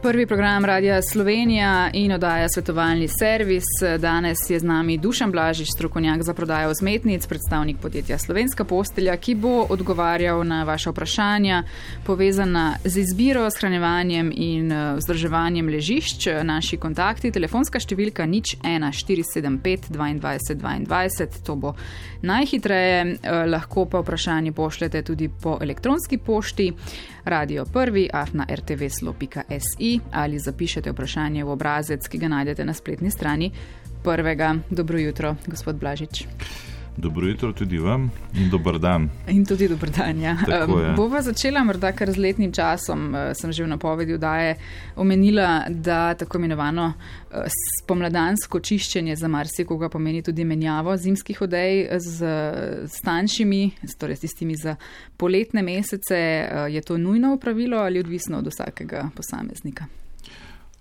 Prvi program Radia Slovenija in oddaja Svetovalni servis. Danes je z nami Dušan Blažič, strokovnjak za prodajo vzmetnic, predstavnik podjetja Slovenska postelja, ki bo odgovarjal na vaše vprašanja povezana z izbiro, shranjevanjem in vzdrževanjem ležišč. Naši kontakti, telefonska številka 01475 22 22, to bo najhitreje, lahko pa vprašanje pošljete tudi po elektronski pošti radio1@rtvslo.si ali zapišete vprašanje v obrazec, ki ga najdete na spletni strani Prvega. Dobro jutro, gospod Blažič. Dobro jutro tudi vam in dober dan. In tudi dober dan, ja. Bova začela morda kar z letnim časom. Sem že v napovedi oddaje omenila, da tako imenovano spomladansko čiščenje za marsikoga pomeni tudi menjavo zimskih odej z tanjšimi, torej s tistimi za poletne mesece. Je to nujno opravilo ali odvisno od vsakega posameznika?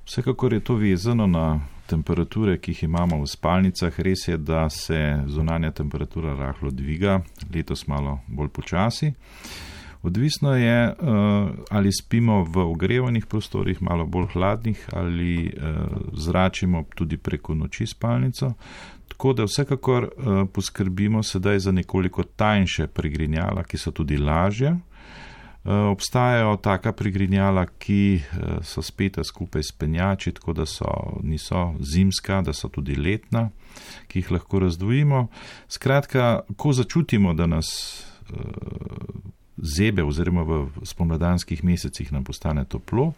Vsekakor je to vezano na temperature, ki jih imamo v spalnicah. Res je, da se zunanja temperatura rahlo dviga, letos malo bolj počasi. Odvisno je, ali spimo v ogrevanih prostorih, malo bolj hladnih, ali zračimo tudi preko noči spalnico. Tako da vsekakor poskrbimo sedaj za nekoliko tanjše prigrinjala, ki so tudi lažje. Obstajajo taka prigrinjala, ki so speta skupaj s penjači, tako da niso zimska, da so tudi letna, ki jih lahko razdvojimo. Skratka, ko začutimo, da nas zebe oziroma v spomladanskih mesecih nam postane toplo,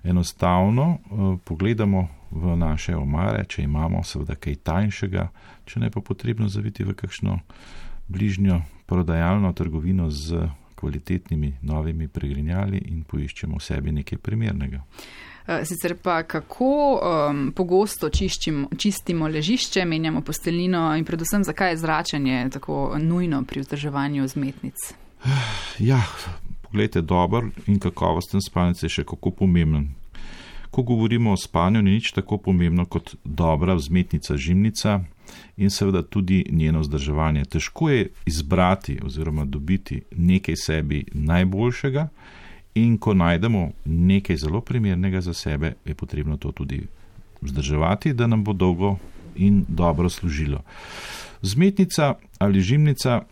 enostavno pogledamo v naše omare, če imamo seveda kaj tanjšega, če ne pa potrebno zaviti v kakšno bližnjo prodajalno trgovino z kvalitetnimi novimi pregrinjali in poiščemo v sebi nekaj primernega. Sicer pa kako pogosto čistimo ležišče, menjamo posteljnino in predvsem zakaj je zračenje tako nujno pri vzdrževanju vzmetnic? Ja, poglejte, dober in kakovosten spalnic je še kako pomemben. Ko govorimo o spanju, ni nič tako pomembno kot dobra vzmetnica žimnica in seveda tudi njeno vzdrževanje. Težko je izbrati oziroma dobiti nekaj sebi najboljšega in ko najdemo nekaj zelo primernega za sebe, je potrebno to tudi vzdrževati, da nam bo dolgo in dobro služilo. Vzmetnica ali žimnica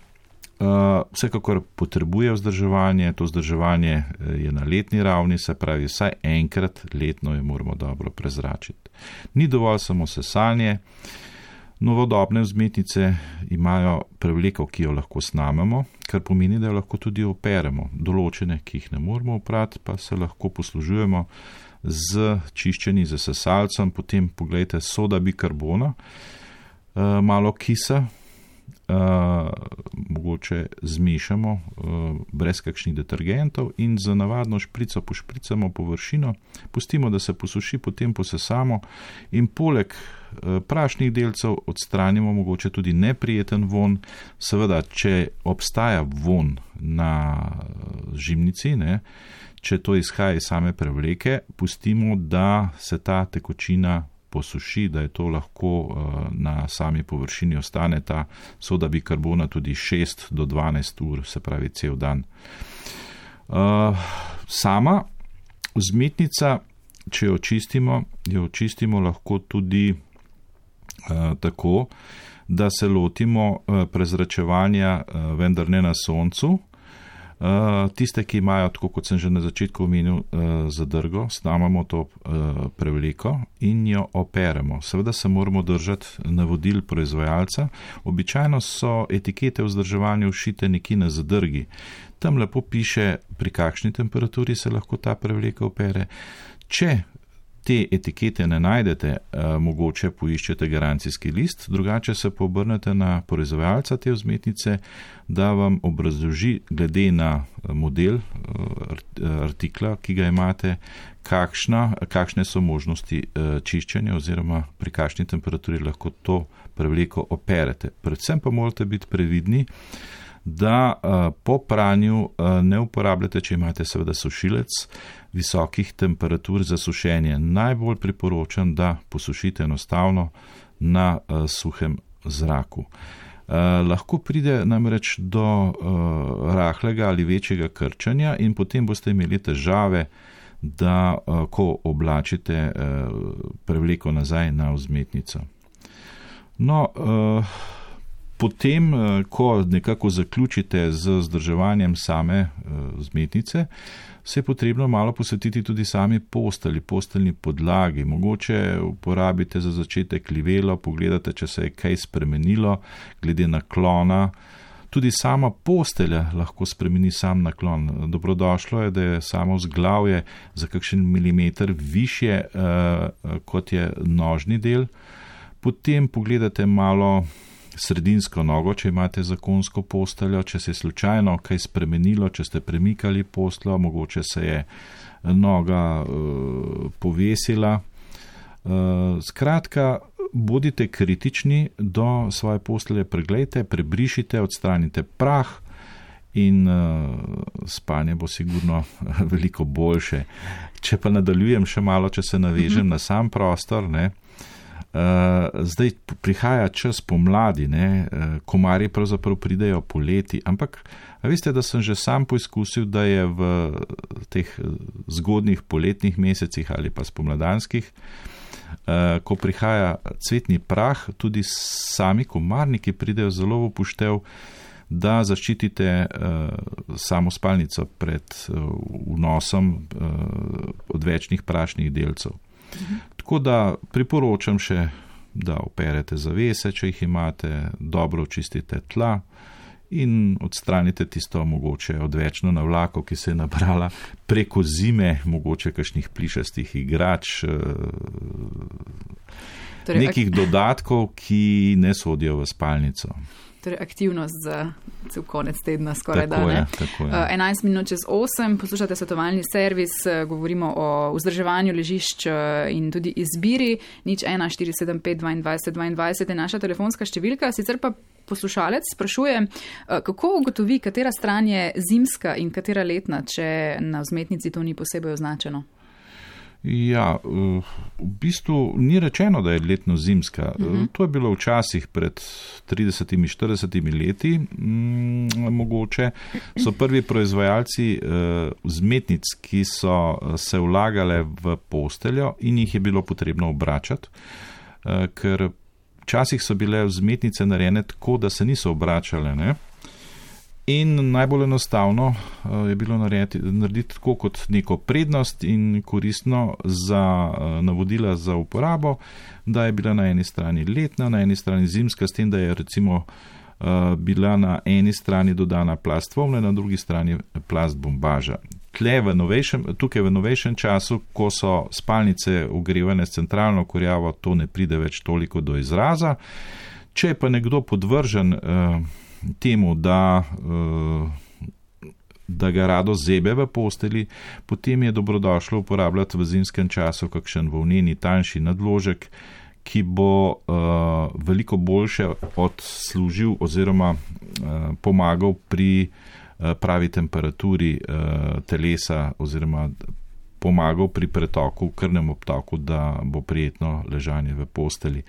vsekakor potrebuje vzdrževanje, to vzdrževanje je na letni ravni, se pravi vsaj enkrat letno jo moramo dobro prezračiti. Ni dovolj samo sesanje, novodobne vzmetnice imajo prevleko, ki jo lahko snamemo, kar pomeni, da jo lahko tudi operemo. Določene, ki jih ne moramo oprati, pa se lahko poslužujemo z čiščenji z sesalcem, potem pogledajte soda bikarbona, malo kisa, mogoče zmešamo brez kakšnih detergentov in za navadno šprico pošpricamo površino, pustimo, da se posuši, potem posesamo in poleg prašnih delcev odstranimo mogoče tudi neprijeten vonj. Seveda, če obstaja vonj na žimnici, če to izhaja iz same prevleke, pustimo, da se ta tekočina posuši, da je to lahko na sami površini ostane ta soda bikarbona tudi 6 do 12 ur, se pravi cel dan. Sama vzmetnica, če jo očistimo lahko tudi tako, da se lotimo prezračevanja, vendar ne na soncu. Tiste, ki imajo, tako kot sem že na začetku omenil, zadrgo, snamamo to prevleko in jo operemo. Seveda se moramo držati navodil proizvajalca. Običajno so etikete o vzdrževanju všite nekje na zadrgi. Tam lepo piše, pri kakšni temperaturi se lahko ta prevleka opere. Če te etikete ne najdete, mogoče poiščete garancijski list, drugače se obrnete na proizvajalca te vzmetnice, da vam obrazloži glede na model artikla, ki ga imate, kakšne so možnosti čiščenja oziroma pri kakšni temperaturi lahko to prevleko operete. Predvsem pa morate biti previdni, da po pranju ne uporabljate, če imate seveda sušilec, visokih temperatur za sušenje. Najbolj priporočam, da posušite enostavno na suhem zraku. Lahko pride namreč do rahlega ali večjega krčanja in potem boste imeli težave da ko oblačite prevleko nazaj na vzmetnico. No, potem, ko nekako zaključite z vzdrževanjem same vzmetnice, se je potrebno malo posvetiti tudi sami posteljni podlagi. Mogoče uporabite za začetek livelo, pogledate, če se je kaj spremenilo glede naklona. Tudi sama postelja lahko spremeni sam naklon. Dobrodošlo je, da je samo vzglavje za kakšen milimeter višje, kot je nožni del. Potem pogledate malo sredinsko nogo, če imate zakonsko posteljo, če se je slučajno kaj spremenilo, če ste premikali posteljo, mogoče se je noga povesila. Skratka, bodite kritični do svoje postelje, preglejte, prebrišite, odstranite prah in spanje bo sigurno veliko boljše. Če pa nadaljujem še malo, če se navežem na sam prostor, ne, zdaj prihaja čas pomladi, komarji pravzaprav pridejo poleti, ampak veste, da sem že sam poizkusil, da je v teh zgodnih poletnih mesecih ali pa spomladanskih, ko prihaja cvetni prah, tudi sami komarniki pridejo zelo v upoštev, da zaščitite samo spalnico pred vnosom odvečnih prašnih delcev. Tako da priporočam še, da operete zavese, če jih imate, dobro očistite tla in odstranite tisto mogoče odvečno navlako, ki se je nabrala preko zime, mogoče kakšnih plišastih igrač, nekih dodatkov, ki ne sodijo v spalnico. Torej aktivnost za cel konec tedna skoraj da, ne? 11 minut čez 8, poslušate svetovalni servis, govorimo o vzdrževanju ležišč in tudi izbiri. 014752 22 je naša telefonska številka, sicer pa poslušalec sprašuje, kako ugotovi, katera stran je zimska in katera letna, če na vzmetnici to ni posebej označeno? Ja, v bistvu ni rečeno, da je letno zimska. To je bilo včasih pred 30-40 leti. Mogoče so prvi proizvajalci vzmetnic, ki so se vlagale v posteljo in jih je bilo potrebno obračati, ker včasih so bile vzmetnice narejene tako, da se niso obračale, ne? In najbolj enostavno je bilo narediti tako kot neko prednost in koristno za navodila za uporabo, da je bila na eni strani letna, na eni strani zimska, s tem, da je recimo bila na eni strani dodana plast volne, na drugi strani plast bombaža. Tukaj v novejšem času, ko so spalnice ogrevane s centralno kurjavo, to ne pride več toliko do izraza. Če je pa nekdo podvržen temu, da ga rado zebe v posteli, potem je dobrodošlo uporabljati v zimskem času kakšen volneni tanjši nadložek, ki bo veliko boljše odslužil oziroma pomagal pri pravi temperaturi telesa oziroma pomagal pri pretoku, krvnem obtoku, da bo prijetno ležanje v posteli.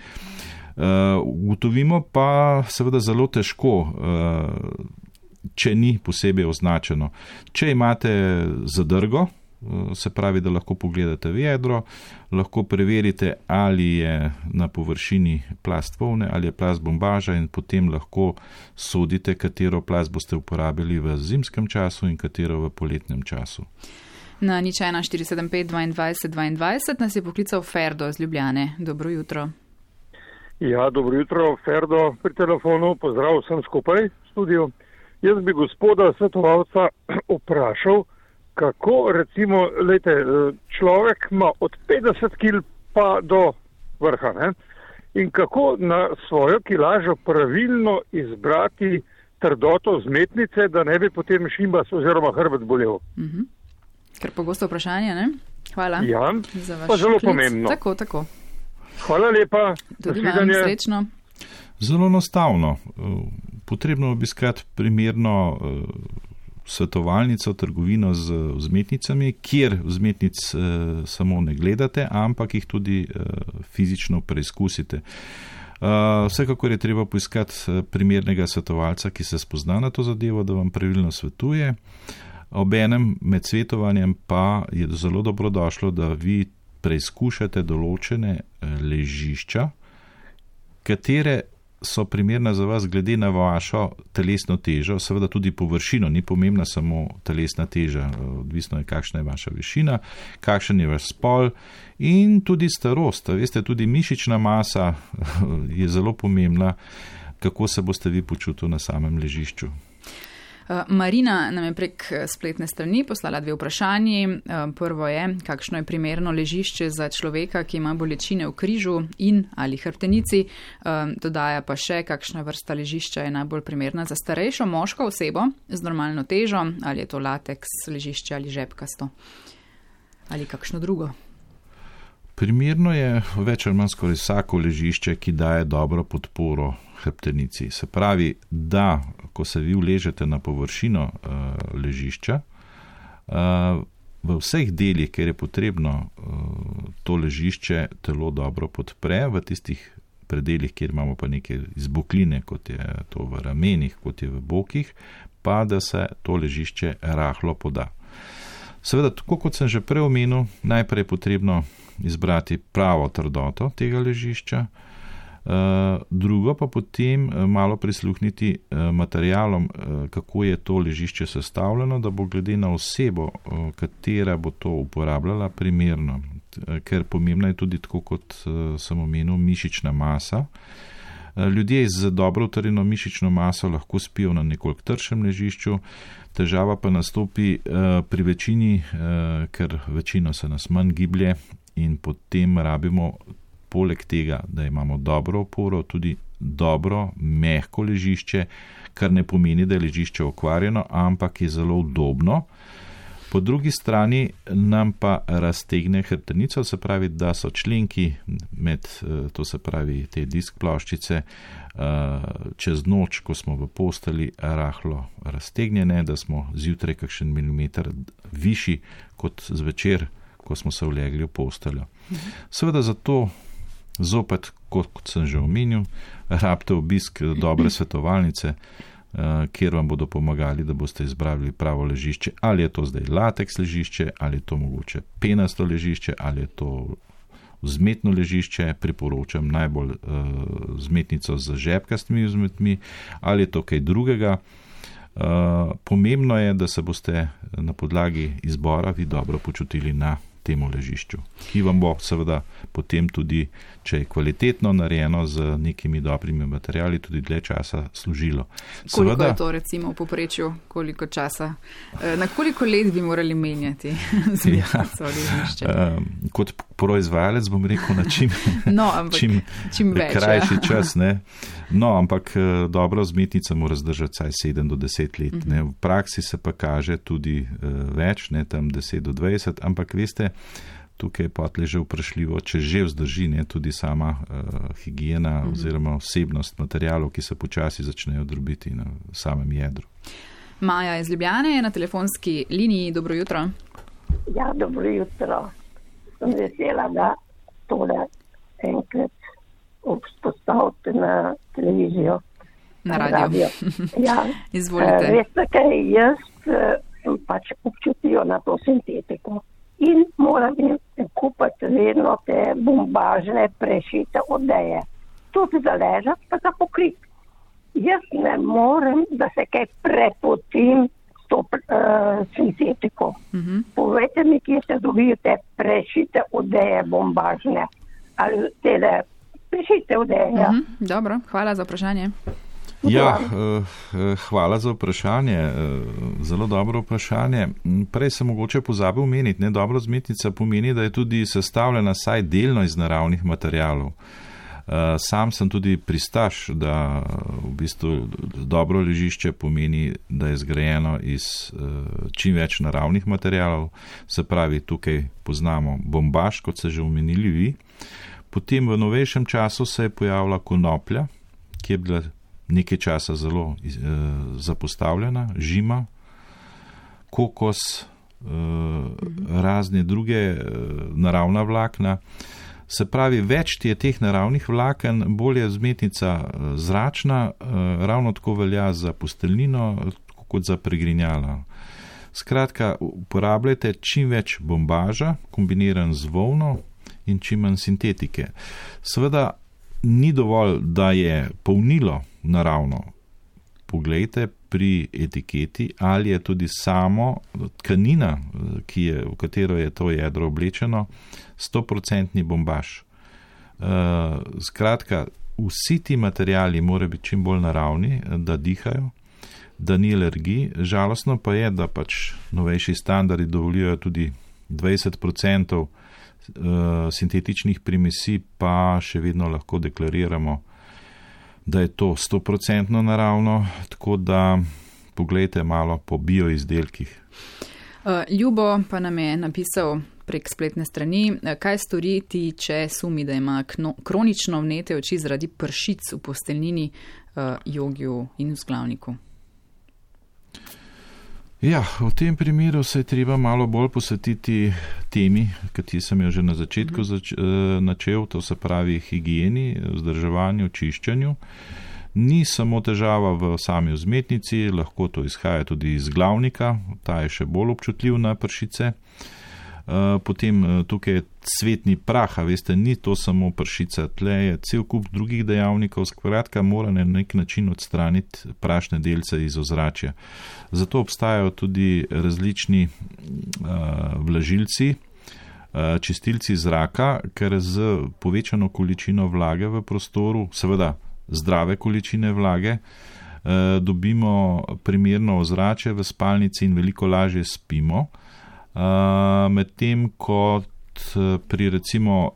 Ugotovimo pa seveda zelo težko, če ni posebej označeno. Če imate zadrgo, se pravi, da lahko pogledate v jedro, lahko preverite, ali je na površini plast volne ali je plast bombaža in potem lahko sodite, katero plast boste uporabili v zimskem času in katero v poletnem času. Na 014752 22 nas je poklical Ferdo iz Ljubljane. Dobro jutro. Ja, dobro jutro, Ferdo pri telefonu, pozdrav vsem skupaj v studiu. Jaz bi gospoda svetovalca vprašal, kako recimo, lejte, človek ima od 50 kil pa do vrha, ne? In kako na svojo kilažo pravilno izbrati trdoto vzmetnice, da ne bi potem šimbas oziroma hrbet bolel. Ker pogosto vprašanje, ne? Hvala. Ja, za vaš pa zelo klic. pomembno. Tako. Hvala lepa. Tudi vam srečno. Zelo enostavno. Potrebno obiskati primerno svetovalnico, trgovino z vzmetnicami, kjer vzmetnic samo ne gledate, ampak jih tudi fizično preizkusite. Vsekakor je treba poiskati primernega svetovalca, ki se spozna na to zadevo, da vam pravilno svetuje. Obenem med svetovanjem pa je zelo dobrodošlo, da vi preizkušate določene ležišča, katere so primerna za vas glede na vašo telesno težo, seveda tudi površino, ni pomembna samo telesna teža, odvisno je, kakšna je vaša višina, kakšen je vaš spol in tudi starost. Veste, tudi mišična masa je zelo pomembna, kako se boste vi počutili na samem ležišču. Marina nam je prek spletne strani poslala 2 vprašanji. Prvo je, kakšno je primerno ležišče za človeka, ki ima bolečine v križu in ali hrbtenici. Dodaja pa še, kakšna vrsta ležišča je najbolj primerna za starejšo moško osebo z normalno težo, ali je to lateks ležišče ali žepkasto ali kakšno drugo. Primerno je več ali manj skoraj vsako ležišče, ki daje dobro podporo hrbtenici. Se pravi, da ko se vi uležete na površino ležišča, v vseh delih, kjer je potrebno to ležišče telo dobro podpre, v tistih predelih, kjer imamo pa neke izbokline, kot je to v ramenih, kot je v bokih, pa da se to ležišče rahlo poda. Seveda, tako kot sem že prej omenil, najprej je potrebno izbrati pravo trdoto tega ležišča, drugo pa potem malo prisluhniti materialom, kako je to ležišče sestavljeno, da bo glede na osebo, katera bo to uporabljala, primerno. Ker pomembna je tudi, tako kot sem omenil, mišična masa. Ljudje z dobro utrjeno mišično maso lahko spijo na nekoliko tršem ležišču, težava pa nastopi pri večini, ker večino se nas manj giblje in potem rabimo poleg tega, da imamo dobro oporo, tudi dobro, mehko ležišče, kar ne pomeni, da je ležišče okvarjeno, ampak je zelo udobno. Po drugi strani nam pa raztegne hrbtenico, se pravi, da so členki med, to se pravi, te disk ploščice čez noč, ko smo v posteli, rahlo raztegnjene, da smo zjutraj kakšen milimeter višji kot zvečer, ko smo se ulegli v posteljo. Seveda zato zopet, kot sem že omenil, rabite obisk dobre svetovalnice, kjer vam bodo pomagali, da boste izbrali pravo ležišče, ali je to zdaj lateks ležišče, ali je to mogoče penasto ležišče, ali je to vzmetno ležišče, priporočam najbolj vzmetnico z žepkastimi vzmetmi, ali je to kaj drugega. Pomembno je, da se boste na podlagi izbora vi dobro počutili na temu ležišču, ki vam bo seveda potem tudi, če je kvalitetno narejeno z nekimi dobrimi materiali, tudi dlje časa služilo. Koliko seveda, je to recimo v povprečju, koliko časa, na koliko let bi morali menjati zmetnico ležišče? Kot proizvajalec bom rekel na čim krajši čas, ne? No, ampak dobra vzmetnica mora zdržati vsaj 7 do 10 let. Ne? V praksi se pa kaže tudi več, ne, tam 10 do 20, ampak veste, tukaj je potlej že vprašljivo, če že vzdrži, ne, tudi sama higiena oziroma vsebnost materialov, ki se počasi začnejo drobiti na samem jedru. Maja iz Ljubljane je na telefonski liniji. Dobro jutro. Ja, dobro jutro. Sem vesela, da tole enkrat vzpostavite na televizijo. Na radio. Ja. Izvolite. Veste kaj, jaz sem pač občutil na to sintetiko in moram kupiti vedno te bombažne prešite odeje. Tudi za ležati, pa za pokrit. Jaz ne morem, da se kaj prepotim s to sintetiko. Povejte mi, kje se dobijo te prešite odeje bombažne ali tele prešite odeje. Ja. Dobro, hvala za vprašanje. Ja, hvala za vprašanje, zelo dobro vprašanje. Prej sem mogoče pozabil omeniti, ne, dobro vzmetnica pomeni, da je tudi sestavljena saj delno iz naravnih materialov. Sam sem tudi pristaš, da v bistvu dobro ležišče pomeni, da je zgrajeno iz čim več naravnih materialov, se pravi, tukaj poznamo bombaž, kot ste že omenili vi. Potem v novejšem času se je pojavila konoplja, ki je bila nekaj časa zelo zapostavljena, žima, kokos, razne druge naravna vlakna. Se pravi, več je teh naravnih vlaken, bolj je vzmetnica zračna, ravno tako velja za posteljnino kot za pregrinjala. Skratka, uporabljajte čim več bombaža, kombiniran z volno in čim manj sintetike. Seveda ni dovolj, da je polnilo naravno. Poglejte pri etiketi, ali je tudi samo tkanina, v katero je to jedro oblečeno, 100% bombaž. Skratka, vsi ti materijali morajo biti čim bolj naravni, da dihajo, da ni alergij. Žalostno pa je, da pač novejši standardi dovoljujejo tudi 20% sintetičnih primesi, pa še vedno lahko deklariramo, da je to 100% naravno, tako da poglejte malo po bioizdelkih. Ljubo pa nam je napisal prek spletne strani, kaj storiti, če sumi, da ima kronično vnete oči zaradi pršic v posteljnini, jogiju in vzglavniku. Ja, v tem primeru se je treba malo bolj posvetiti temi, kateri sem jo že na začetku načel, to se pravi higieni, vzdrževanju, čiščenju. Ni samo težava v sami vzmetnici, lahko to izhaja tudi iz glavnika, ta je še bolj občutljiv na pršice. Potem tukaj je cvetni prah, a veste, ni to samo pršica, tle je cel kup drugih dejavnikov, skratka mora na nek način odstraniti prašne delce iz ozračja. Zato obstajajo tudi različni vlažilci, čistilci zraka, ker z povečano količino vlage v prostoru, seveda zdrave količine vlage, dobimo primerno ozračje v spalnici in veliko lažje spimo. Medtem kot pri recimo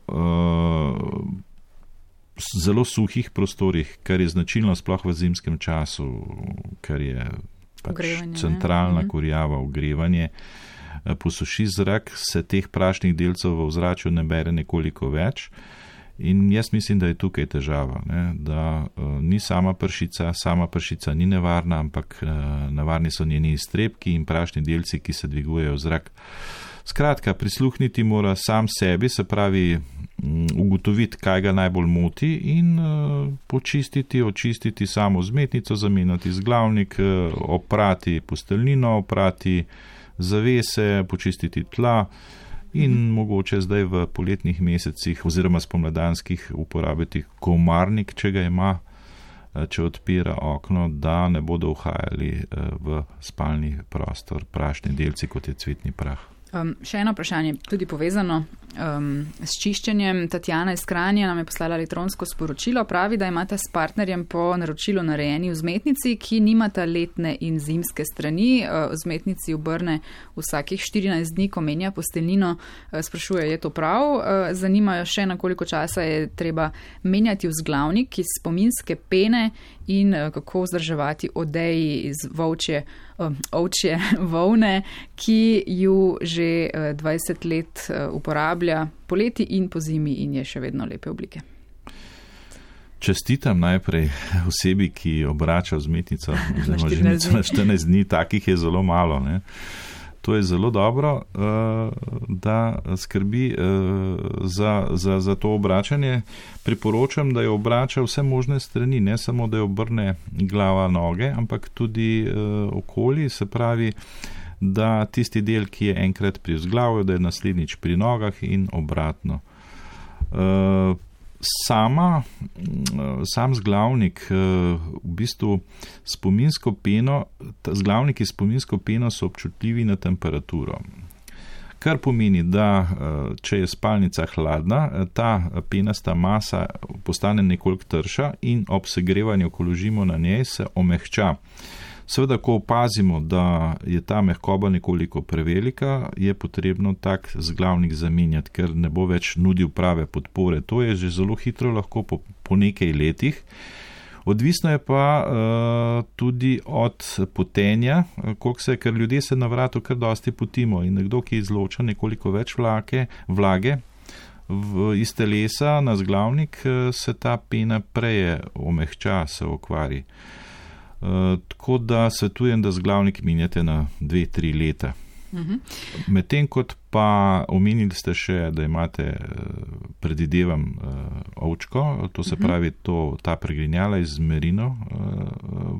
zelo suhih prostorih, kar je značilno sploh v zimskem času, ker je pač centralna kurjava, ogrevanje, posuši zrak, se teh prašnih delcev v ozračju ne bere nekoliko več. In jaz mislim, da je tukaj težava, ne? Da ni sama pršica ni nevarna, ampak nevarni so njeni iztrebki in prašni delci, ki se dvigujejo v zrak. Skratka, prisluhniti mora sam sebi, se pravi ugotoviti, kaj ga najbolj moti in očistiti samo vzmetnico, zamenjati vzglavnik, oprati posteljnino, oprati zavese, počistiti tla. In mogoče zdaj v poletnih mesecih oziroma spomladanskih uporabiti komarnik, če ga ima, če odpira okno, da ne bodo uhajali v spalni prostor prašni delci, kot je cvetni prah. Še eno vprašanje, tudi povezano s čiščenjem. Tatjana iz Kranja nam je poslala elektronsko sporočilo, pravi, da imata s partnerjem po naročilu narejeni vzmetnici, ki nimata letne in zimske strani. Vzmetnici obrne vsakih 14 dni, ko menja posteljnino. Sprašuje, je to prav? Zanimajo še, na koliko časa je treba menjati vzglavnik iz spominske pene in kako vzdrževati odeji iz ovčje volne, ki ju že 20 let uporablja poleti in po zimi in je še vedno lepe oblike. Čestitam najprej osebi, ki obrača vzmetnico na 14 dni, takih je zelo malo, ne? To je zelo dobro, da skrbi za to obračanje. Priporočam, da jo obrača vse možne strani, ne samo, da jo obrne glava, noge, ampak tudi okoli, se pravi, da tisti del, ki je enkrat pri vzglavju, da je naslednjič pri nogah in obratno. Sam zglavnik, v bistvu spominsko peno, zglavniki spominsko peno so občutljivi na temperaturo. Kar pomeni, da če je spalnica hladna, ta penasta masa postane nekoliko trša in ob segrevanju, ko ložimo na njej, se omehča. Seveda, ko opazimo, da je ta mehkoba nekoliko prevelika, je potrebno tak zglavnik zamenjati, ker ne bo več nudil prave podpore. To je že zelo hitro lahko po nekaj letih. Odvisno je pa tudi od potenja, ker ljudje se na vratu kar dosti potimo in nekdo, ki izloča nekoliko več vlage iz telesa na zglavnik, se ta pena prej omehča, se okvari. Tako da svetujem, da zglavnik menjate na 2-3 leta. Medtem kot pa omenili ste še, da imate, predvidevam, ovčko, to se pravi ta pregrinjala iz merino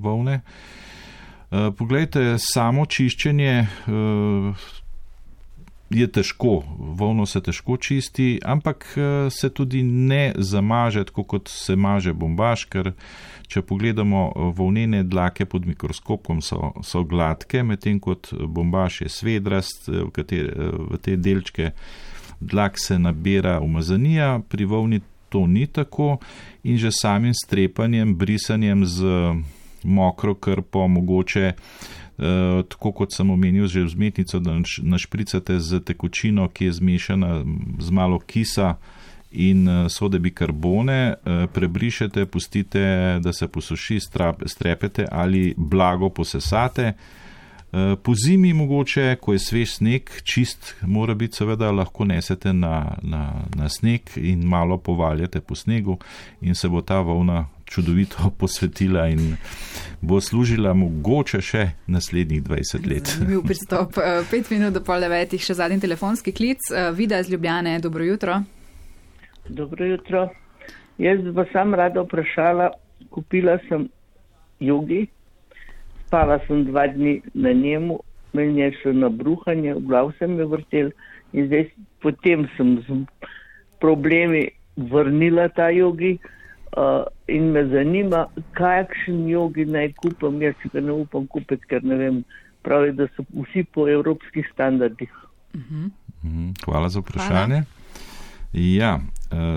volne. Poglejte, samo čiščenje je težko, volno se težko čisti, ampak se tudi ne zamaže, tako kot se maže bombaž, ker če pogledamo volnene dlake pod mikroskopom so gladke, medtem kot bombaž je svedrast, v te delčke dlak se nabira umazanija, pri volni to ni tako in že samim strepanjem, brisanjem z mokro krpo mogoče, tako kot sem omenil že vzmetnico, da našpricate z tekočino, ki je zmešana z malo kisa in sode bikarbone, prebrišete, pustite, da se posuši, strepete ali blago posesate. Po zimi mogoče, ko je svež sneg, čist mora biti, seveda lahko nesete na sneg in malo povaljate po snegu in se bo ta volna čudovito posvetila in bo služila mogoče še naslednjih 20 let. Zanimiv pristop. 5 minut do 8:30, še zadnji telefonski klic. Vida iz Ljubljane, dobro jutro. Dobro jutro. Jaz bi sam rada vprašala, kupila sem jogi, spala sem 2 dni na njemu, meni je še na bruhanje, v glav sem me vrtel in zdaj potem sem z problemi vrnila ta jogi in me zanima, kakšen jogi naj kupam, jaz si ga ne upam kupiti, ker ne vem, pravi, da so vsi po evropskih standardih. Hvala za vprašanje. Ja,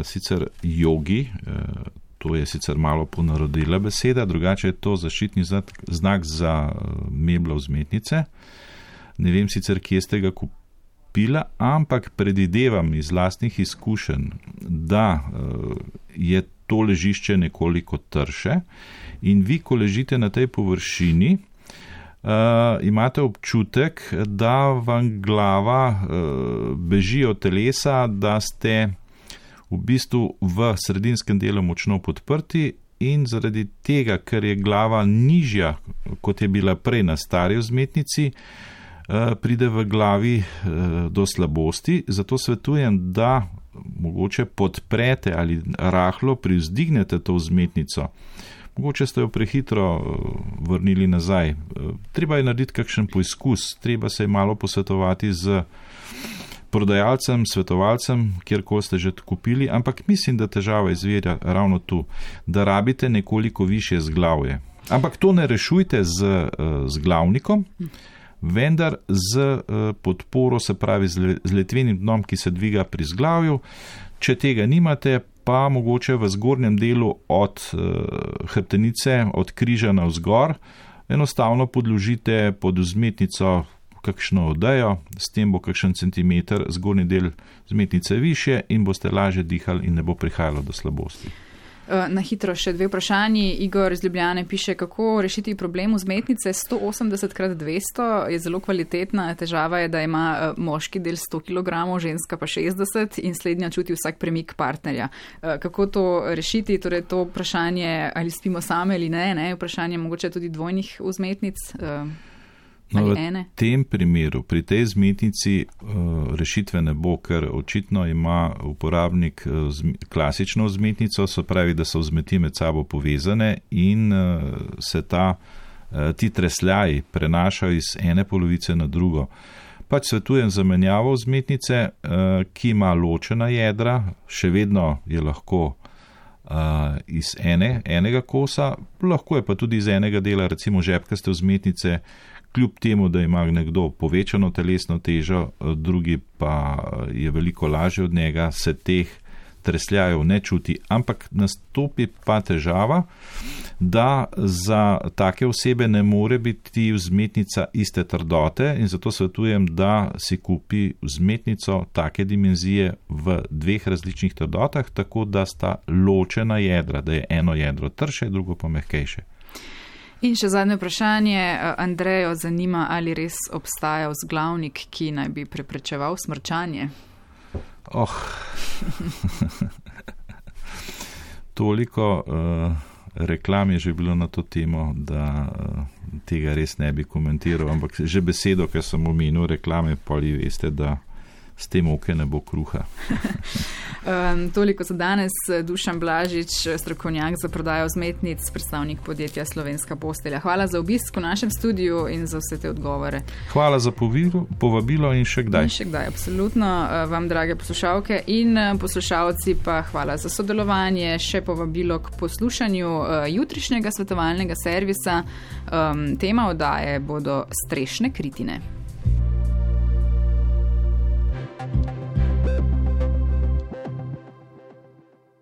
sicer jogi, to je sicer malo ponarodila beseda, drugače je to zaščitni znak za meblo vzmetnice. Ne vem sicer, kje ste ga kupila, ampak predvidevam iz lastnih izkušenj, da je to ležišče nekoliko trše in vi, ko ležite na tej površini, imate občutek, da vam glava beži od telesa, da ste v bistvu v sredinskem delu močno podprti in zaradi tega, ker je glava nižja, kot je bila prej na stari vzmetnici, pride v glavi do slabosti. Zato svetujem, da mogoče podprete ali rahlo privzdignete to vzmetnico. Mogoče ste jo prehitro vrnili nazaj. Treba je narediti kakšen poizkus, treba se je malo posvetovati z prodajalcem, svetovalcem, kjerkoli ste že kupili, ampak mislim, da težava izvira ravno tu, da rabite nekoliko višje zglavje. Ampak to ne rešujte z glavnikom, vendar z podporo, se pravi z letvenim dnom, ki se dviga pri zglavju. Če tega nimate, pa mogoče v zgornjem delu od hrbtenice, od križa navzgor, enostavno podložite pod vzmetnico kakšno odejo, s tem bo kakšen centimeter zgornji del vzmetnice više in boste lažje dihali in ne bo prihajalo do slabosti. Na hitro še 2 vprašanji. Igor iz Ljubljane piše, kako rešiti problem vzmetnice 180x200, je zelo kvalitetna, težava je, da ima moški del 100 kg, ženska pa 60 in slednja čuti vsak premik partnerja. Kako to rešiti? Torej to vprašanje, ali spimo same ali ne, vprašanje mogoče tudi dvojnih vzmetnic. No, v tem primeru, pri tej vzmetnici rešitve ne bo, ker očitno ima uporabnik klasično vzmetnico, se pravi, da so vzmeti med sabo povezane in se ti tresljaji prenašajo iz ene polovice na drugo. Pač svetujem zamenjavo vzmetnice, ki ima ločena jedra, še vedno je lahko iz enega kosa, lahko je pa tudi iz enega dela, recimo žepkaste vzmetnice, kljub temu, da ima nekdo povečano telesno težo, drugi pa je veliko lažje od njega, se teh tresljajev ne čuti, ampak nastopi pa težava, da za take osebe ne more biti vzmetnica iste trdote in zato svetujem, da si kupi vzmetnico take dimenzije v 2 različnih trdotah, tako da sta ločena jedra, da je eno jedro trše, drugo pa mehkejše. In še zadnje vprašanje. Andrejo zanima, ali res obstaja vzglavnik, ki naj bi preprečeval smrčanje? Toliko reklam je že bilo na to temo, da tega res ne bi komentiral, ampak že besedo, ker sem omenil reklame, poli veste, da s tem oke ne bo kruha. Toliko za danes. Dušan Blažič, strokovnjak za prodajo vzmetnic, predstavnik podjetja Slovenska postelja. Hvala za obisk v našem studiu in za vse te odgovore. Hvala za povabilo in še kdaj. In še kdaj, absolutno. Vam, drage poslušalke in poslušalci, pa hvala za sodelovanje. Še povabilo k poslušanju jutrišnjega svetovalnega servisa. Tema oddaje bodo strešne kritine.